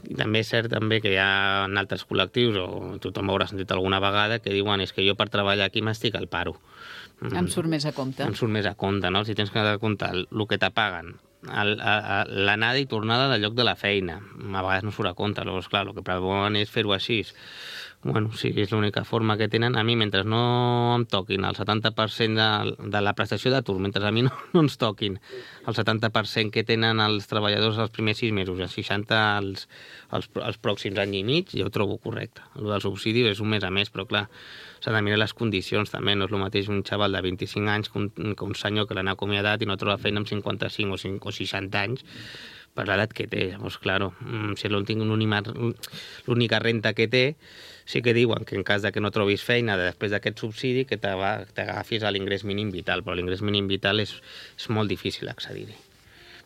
Speaker 9: I també és cert també que hi ha en altres col·lectius, o tothom haurà sentit alguna vegada, que diuen és que jo per treballar aquí m'estic al paro.
Speaker 3: Em surt més a compte.
Speaker 9: Em surt més a compte, no? Si tens que comptar el, el que t'apaguen, l'anada i tornada del lloc de la feina, a vegades no surt a compte. Llavors, clar, el que preveuen és fer-ho així. Bueno, sí, és l'única forma que tenen. A mi, mentre no em toquin el setanta per cent de, de la prestació d'atur, mentre a mi no, no ens toquin el setanta per cent que tenen els treballadors els primers sis mesos i el seixanta per cent els, els, els pròxims any i mig, jo ho trobo correcte. El del subsidi és un mes a mes, però clar, s'ha de mirar les condicions també. No és el mateix un xaval de vint-i-cinc anys que un, que un senyor que l'han acomiadat i no troba feina amb cinquanta-cinc o, cinc, o seixanta anys per l'edat que té. Llavors, clar, si l'única renta que té, sí que diuen que en cas de que no trobis feina després d'aquest subsidi que t'agafis a l'ingrés mínim vital, però l'ingrés mínim vital és, és molt difícil accedir-hi,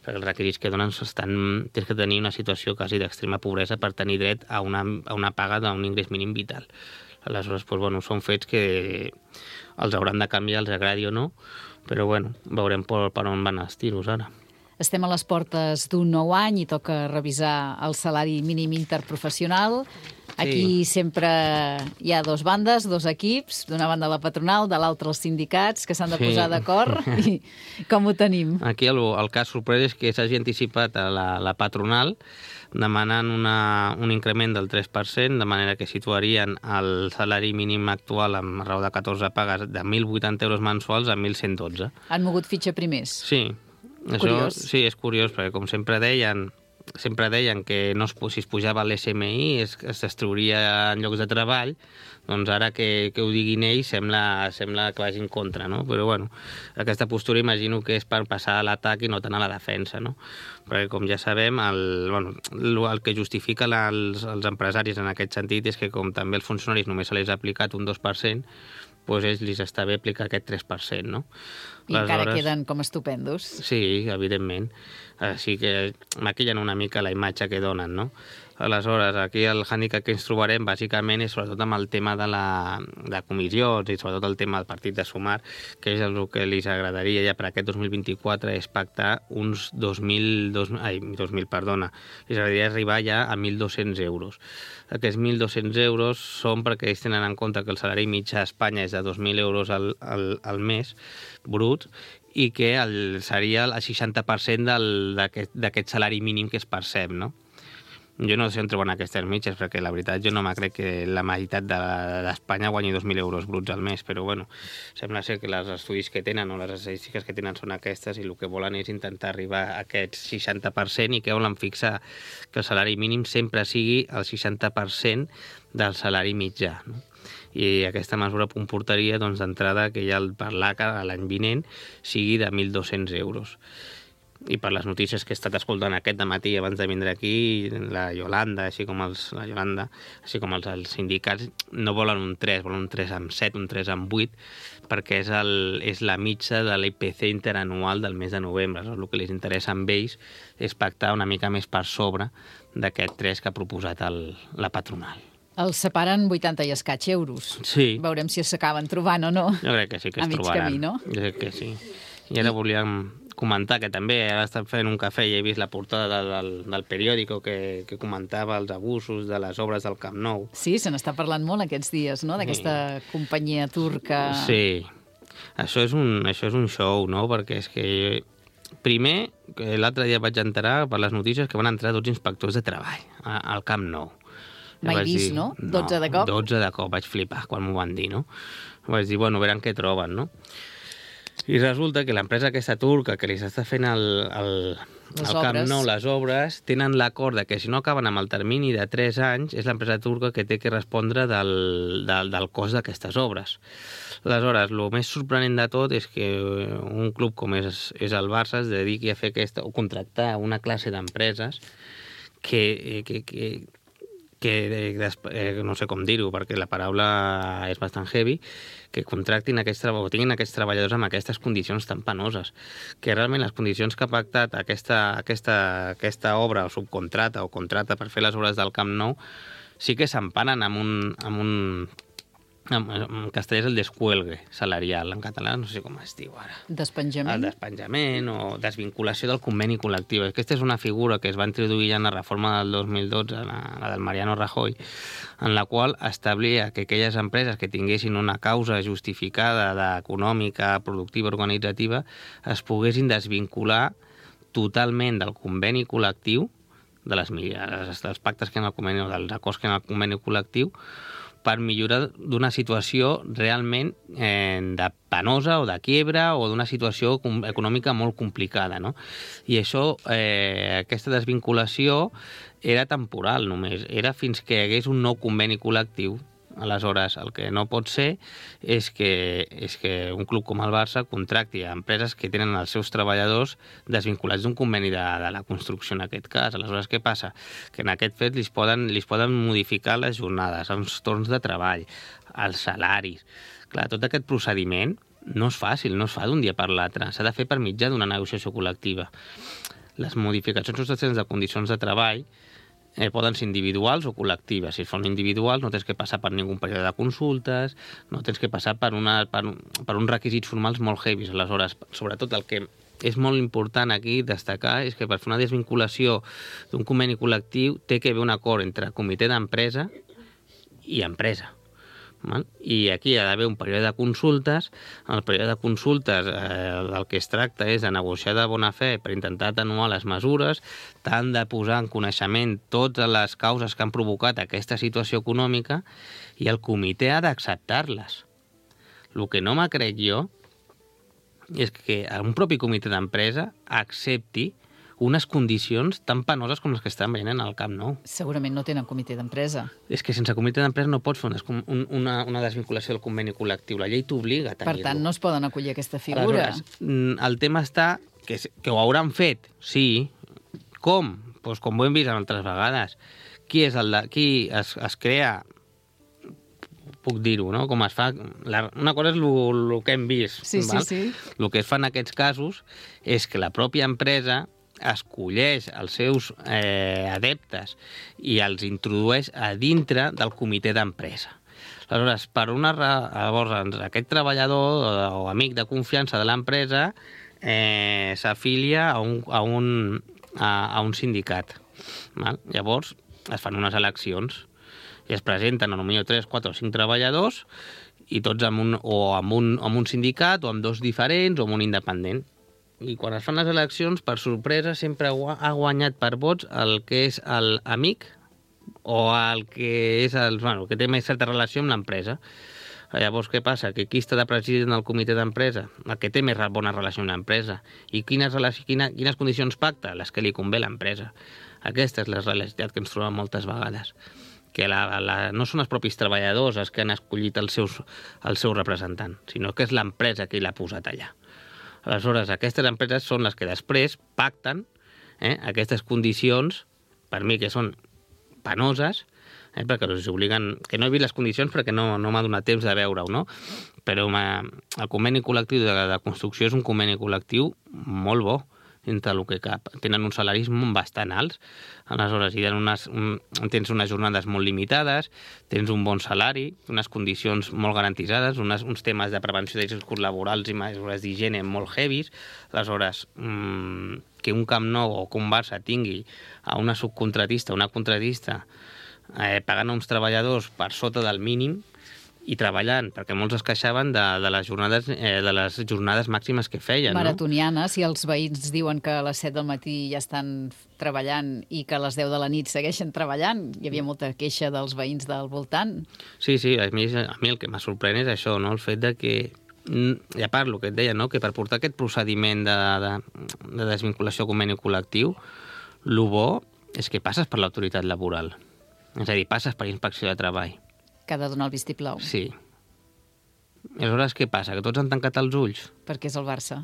Speaker 9: perquè els requisits que donen estan, tens que tenir una situació quasi d'extrema pobresa per tenir dret a una, a una paga d'un ingrés mínim vital. Aleshores, doncs, bueno, són fets que els hauran de canviar, els agradi o no, però bueno, veurem per, per on van els tiros ara.
Speaker 3: Estem a les portes d'un nou any i toca revisar el salari mínim interprofessional. Aquí sí. Sempre hi ha dos bandes, dos equips, d'una banda la patronal, de l'altra els sindicats, que s'han de posar sí. d'acord. I com ho tenim?
Speaker 9: Aquí el, el cas sorprès és que s'hagi anticipat a la, la patronal demanant una, un increment del tres per cent, de manera que situarien el salari mínim actual amb raó de catorze pagues de mil vuitanta euros mensuals a mil cent dotze.
Speaker 3: Han mogut fitxa primers?
Speaker 9: Sí. Això, sí, és curiós, perquè com sempre deien, sempre deien que no es, si es pujava l'S M I es, es destruiria en llocs de treball, doncs ara que, que ho diguin ells sembla, sembla que vagi en contra, no? Però bueno, aquesta postura imagino que és per passar a l'atac i no tant a la defensa, no? Perquè com ja sabem, el, bueno, el que justifica la, els, els empresaris en aquest sentit és que com també els funcionaris només se les ha aplicat un dos per cent, doncs ells li està bé aplicar aquest tres per cent, no?
Speaker 3: I les encara hores... queden com estupendos.
Speaker 9: Sí, evidentment. Així que maquillen una mica la imatge que donen, no? Aleshores, aquí el hàndicap que ens trobarem bàsicament és sobretot amb el tema de la de comissions i sobretot el tema del partit de Sumar, que és el que els agradaria ja per aquest dos mil vint-i-quatre és pactar uns dos mil, dos, ai, dos mil, perdona, els agradaria arribar ja a mil dos-cents euros. Aquests mil dos-cents euros són perquè ells tenen en compte que el salari mitjà a Espanya és de dos mil euros al, al, al mes, brut, i que el, seria el seixanta per cent d'aquest salari mínim que es percep, no? Jo no sé on treuen aquestes mitges, perquè la veritat jo no me crec que la meitat d'Espanya de, guanyi dos mil euros bruts al mes, però bueno, sembla ser que els estudis que tenen o les estadístiques que tenen són aquestes i el que volen és intentar arribar a aquest seixanta per cent i que volen fixar que el salari mínim sempre sigui el seixanta per cent del salari mitjà, no? I aquesta mesura comportaria doncs, d'entrada que ja el per l'A C A l'any vinent sigui de mil dos-cents euros. i per les notícies que he estat escoltant aquest dematí abans de vindre aquí, la Yolanda, així com els, la Yolanda, així com els, els sindicats, no volen un tres, volen un tres amb set, un tres amb vuit, perquè és, el, és la mitja de l'I P C interanual del mes de novembre. El que els interessa amb ells és pactar una mica més per sobre d'aquest tres que ha proposat el, la patronal.
Speaker 3: Els separen vuitanta i escaig euros.
Speaker 9: Sí.
Speaker 3: Veurem si s'acaben trobant o no.
Speaker 9: Jo crec que sí que es
Speaker 3: a mig
Speaker 9: trobaran.
Speaker 3: camí, no?
Speaker 9: Jo crec que sí. I ara volíem comentar que també ara estan fent un cafè i he vist la portada del, del periòdico que, que comentava els abusos de les obres del Camp Nou.
Speaker 3: Sí, se n'està parlant molt aquests dies, no?, d'aquesta sí. companyia turca.
Speaker 9: Sí. Això és, un, això és un show, no?, perquè és que primer, l'altre dia vaig enterar per les notícies que van entrar dotze inspectors de treball al Camp Nou.
Speaker 3: Mai vist, dir, no? dotze de cop?
Speaker 9: dotze de cop, vaig flipar quan m'ho van dir, no? Vaig dir, bueno, veran què troben, no? I resulta que l'empresa aquesta turca que li està fent el, el, el Camp Nou, les obres, tenen l'acord que si no acaben amb el termini de tres anys, és l'empresa turca que té que respondre del, del, del cost d'aquestes obres. Aleshores, el més sorprenent de tot és que un club com és, és el Barça es dediqui a fer aquesta, o contractar una classe d'empreses que... que, que que eh, no sé com dir-ho, perquè la paraula és bastant heavy, que contractin aquests treballadors, o tinguin aquests treballadors amb aquestes condicions tan penoses, que realment les condicions que ha pactat aquesta, aquesta, aquesta obra o subcontrata o contrata per fer les obres del Camp Nou sí que s'emparen amb un... Amb un en castellà és el descuelgue salarial, en català no sé com es diu ara.
Speaker 3: Despenjament?
Speaker 9: El despenjament o desvinculació del conveni col·lectiu. Aquesta és una figura que es va introduir ja en la reforma del dos mil dotze, la, la del Mariano Rajoy, en la qual establia que aquelles empreses que tinguessin una causa justificada d'econòmica, productiva, organitzativa, es poguessin desvincular totalment del conveni col·lectiu, de les, dels pactes que hi ha en el conveni o dels acords que hi ha en el conveni col·lectiu, per millorar d'una situació realment eh, de penosa o de quiebra o d'una situació econòmica molt complicada, no? I això, eh, aquesta desvinculació era temporal només, era fins que hi hagués un nou conveni col·lectiu. Aleshores, el que no pot ser és que, és que un club com el Barça contracti a empreses que tenen els seus treballadors desvinculats d'un conveni de, de la construcció en aquest cas. Aleshores, què passa? Que en aquest fet li poden, li poden modificar les jornades, els torns de treball, els salaris. Clar, tot aquest procediment no és fàcil, no es fa d'un dia per l'altre. S'ha de fer per mitjà d'una negociació col·lectiva. Les modificacions substancials de condicions de treball Eh, poden ser individuals o col·lectives. Si són individuals no tens que passar per ningú període de consultes, no tens que passar per, una, per, per uns requisits formals molt heavies. Aleshores, sobretot el que és molt important aquí destacar és que per fer una desvinculació d'un conveni col·lectiu té que haver un acord entre comitè d'empresa i empresa. I aquí hi ha d'haver un període de consultes. En el període de consultes eh, del que es tracta és de negociar de bona fe per intentar atenuar les mesures, tant de posar en coneixement totes les causes que han provocat aquesta situació econòmica, i el comitè ha d'acceptar-les. El que no me crec jo és que un propi comitè d'empresa accepti unes condicions tan penoses com les que estan veient en el Camp Nou.
Speaker 3: Segurament no tenen comitè d'empresa.
Speaker 9: És que sense comitè d'empresa no pots fer una, una, una desvinculació del conveni col·lectiu. La llei t'obliga a tenir-lo.
Speaker 3: Per tant, no es poden acollir aquesta figura.
Speaker 9: Aleshores, el tema està que, que ho hauran fet, sí. Com? Pues com ho hem vist altres vegades. Qui és el de, qui es, es crea... puc dir-ho, no? Com es fa... La, una cosa és el que hem vist.
Speaker 3: Sí,
Speaker 9: val?
Speaker 3: sí, sí.
Speaker 9: El que es fa en aquests casos és que la pròpia empresa escolleix els seus eh, adeptes i els introdueix a dintre del comitè d'empresa. Aleshores, per una llavors, aquest treballador o, o amic de confiança de l'empresa eh, s'afilia a un, a, un, a, a un sindicat. Val? Llavors, es fan unes eleccions i es presenten potser tres, quatre o cinc treballadors i tots amb un, o amb un, amb un sindicat o amb dos diferents o amb un independent. I quan es fan les eleccions, per sorpresa, sempre ha guanyat per vots el que és l'amic o el que és el, bueno, que té més certa relació amb l'empresa. Llavors, què passa? Que qui està de president del comitè d'empresa? El que té més bona relació amb l'empresa. I quines, quines, quines condicions pacta? Les que li convé a l'empresa. Aquesta és la realitat que ens trobem moltes vegades. Que la, la, no són els propis treballadors els que han escollit el, seus, el seu representant, sinó que és l'empresa que l'ha posat allà. Aleshores, aquestes empreses són les que després pacten eh, aquestes condicions, per mi que són penoses, eh, perquè els obliguen... Que no he vist les condicions perquè no, no m'ha donat temps de veure-ho, no? Però el conveni col·lectiu de, de construcció és un conveni col·lectiu molt bo, entre el que cap. Tenen uns salaris bastant alts, aleshores hi unes, un, tens unes jornades molt limitades, tens un bon salari, unes condicions molt garantitzades, unes, uns temes de prevenció de riscos laborals i mesures d'higiene molt heavies, aleshores mmm, que un Camp Nou o que un Barça tingui a una subcontratista, una contratista, eh, pagant a uns treballadors per sota del mínim, i treballant, perquè molts es queixaven de, de, les, jornades, eh, de les jornades màximes que feien.
Speaker 3: Maratonianes, no? Si els veïns diuen que a les set del matí ja estan treballant i que a les deu de la nit segueixen treballant, hi havia molta queixa dels veïns del voltant.
Speaker 9: Sí, sí, a mi, a mi el que m'ha sorprèn és això, no? El fet de que, ja parlo, que et deia, no? Que per portar aquest procediment de, de, de desvinculació conveni col·lectiu, el bo és que passes per l'autoritat laboral, és a dir, passes per inspecció de treball.
Speaker 3: Que ha de donar el vistiplau.
Speaker 9: Sí. I aleshores què passa? Que tots han tancat els ulls?
Speaker 3: Perquè és el Barça.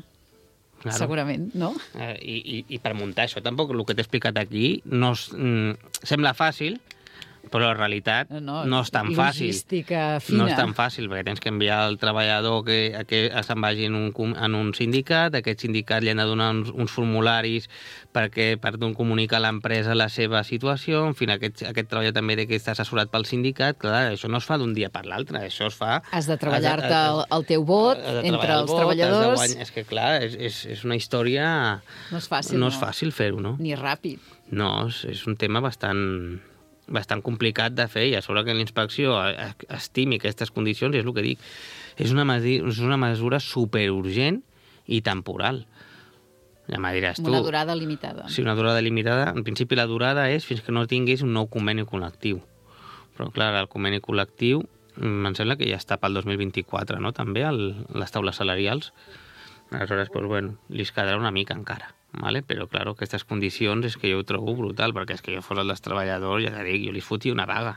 Speaker 9: Claro.
Speaker 3: Segurament, no?
Speaker 9: Eh, i, i, I per muntar això, tampoc el que t'he explicat aquí no es, mm, sembla fàcil, però la realitat no, no és tan fàcil.
Speaker 3: Logística fina.
Speaker 9: No és tan fàcil, perquè tens que enviar el treballador que, a que se'n vagi en un, en un sindicat, aquest sindicat li han de donar uns, uns formularis perquè, per comunicar a l'empresa la seva situació, en fi, aquest, aquest treballador també té que estar assessorat pel sindicat, clar, això no es fa d'un dia per l'altre, això es fa...
Speaker 3: Has de treballar-te el, el teu vot entre els vot, treballadors...
Speaker 9: Guany... És que, clar, és, és, és una història...
Speaker 3: No és fàcil,
Speaker 9: no.
Speaker 3: No
Speaker 9: és fàcil fer-ho, no?
Speaker 3: Ni ràpid.
Speaker 9: No, és, és un tema bastant... bastant complicat de fer, i a sobre que la inspecció estimi aquestes condicions, és el que dic, és una, és una mesura superurgent i temporal. Ja me diràs tu.
Speaker 3: Una durada limitada.
Speaker 9: Sí, una durada limitada. En principi la durada és fins que no tinguis un nou conveni col·lectiu. Però clar, el conveni col·lectiu em sembla que ja està pel dos mil vint-i-quatre, no? També, el, les taules salarials. Aleshores, doncs, bueno, li es quedarà una mica encara. Vale? Però, clar, aquestes condicions és que jo ho trobo brutal, perquè és que jo fos el dels treballadors, ja dic, jo li fotia una vaga.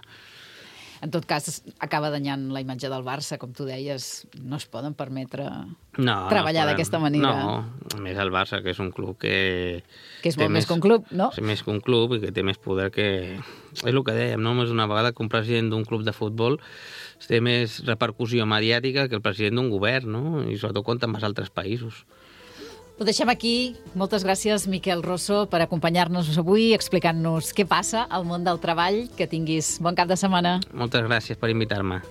Speaker 3: En tot cas, acaba danyant la imatge del Barça, com tu deies, no es poden permetre
Speaker 9: no,
Speaker 3: treballar
Speaker 9: no
Speaker 3: d'aquesta manera.
Speaker 9: No, a més el Barça, que és un club que...
Speaker 3: Que és molt més que un club, no?
Speaker 9: És més que un club i que té més poder que... És el que dèiem, no? Més una vegada que un president d'un club de futbol té més repercussió mediàtica que el president d'un govern, no? I sobretot compta amb els altres països.
Speaker 3: Ho deixem aquí. Moltes gràcies, Miquel Rosso, per acompanyar-nos avui, explicant-nos què passa al món del treball. Que tinguis bon cap de setmana.
Speaker 9: Moltes gràcies per invitar-me.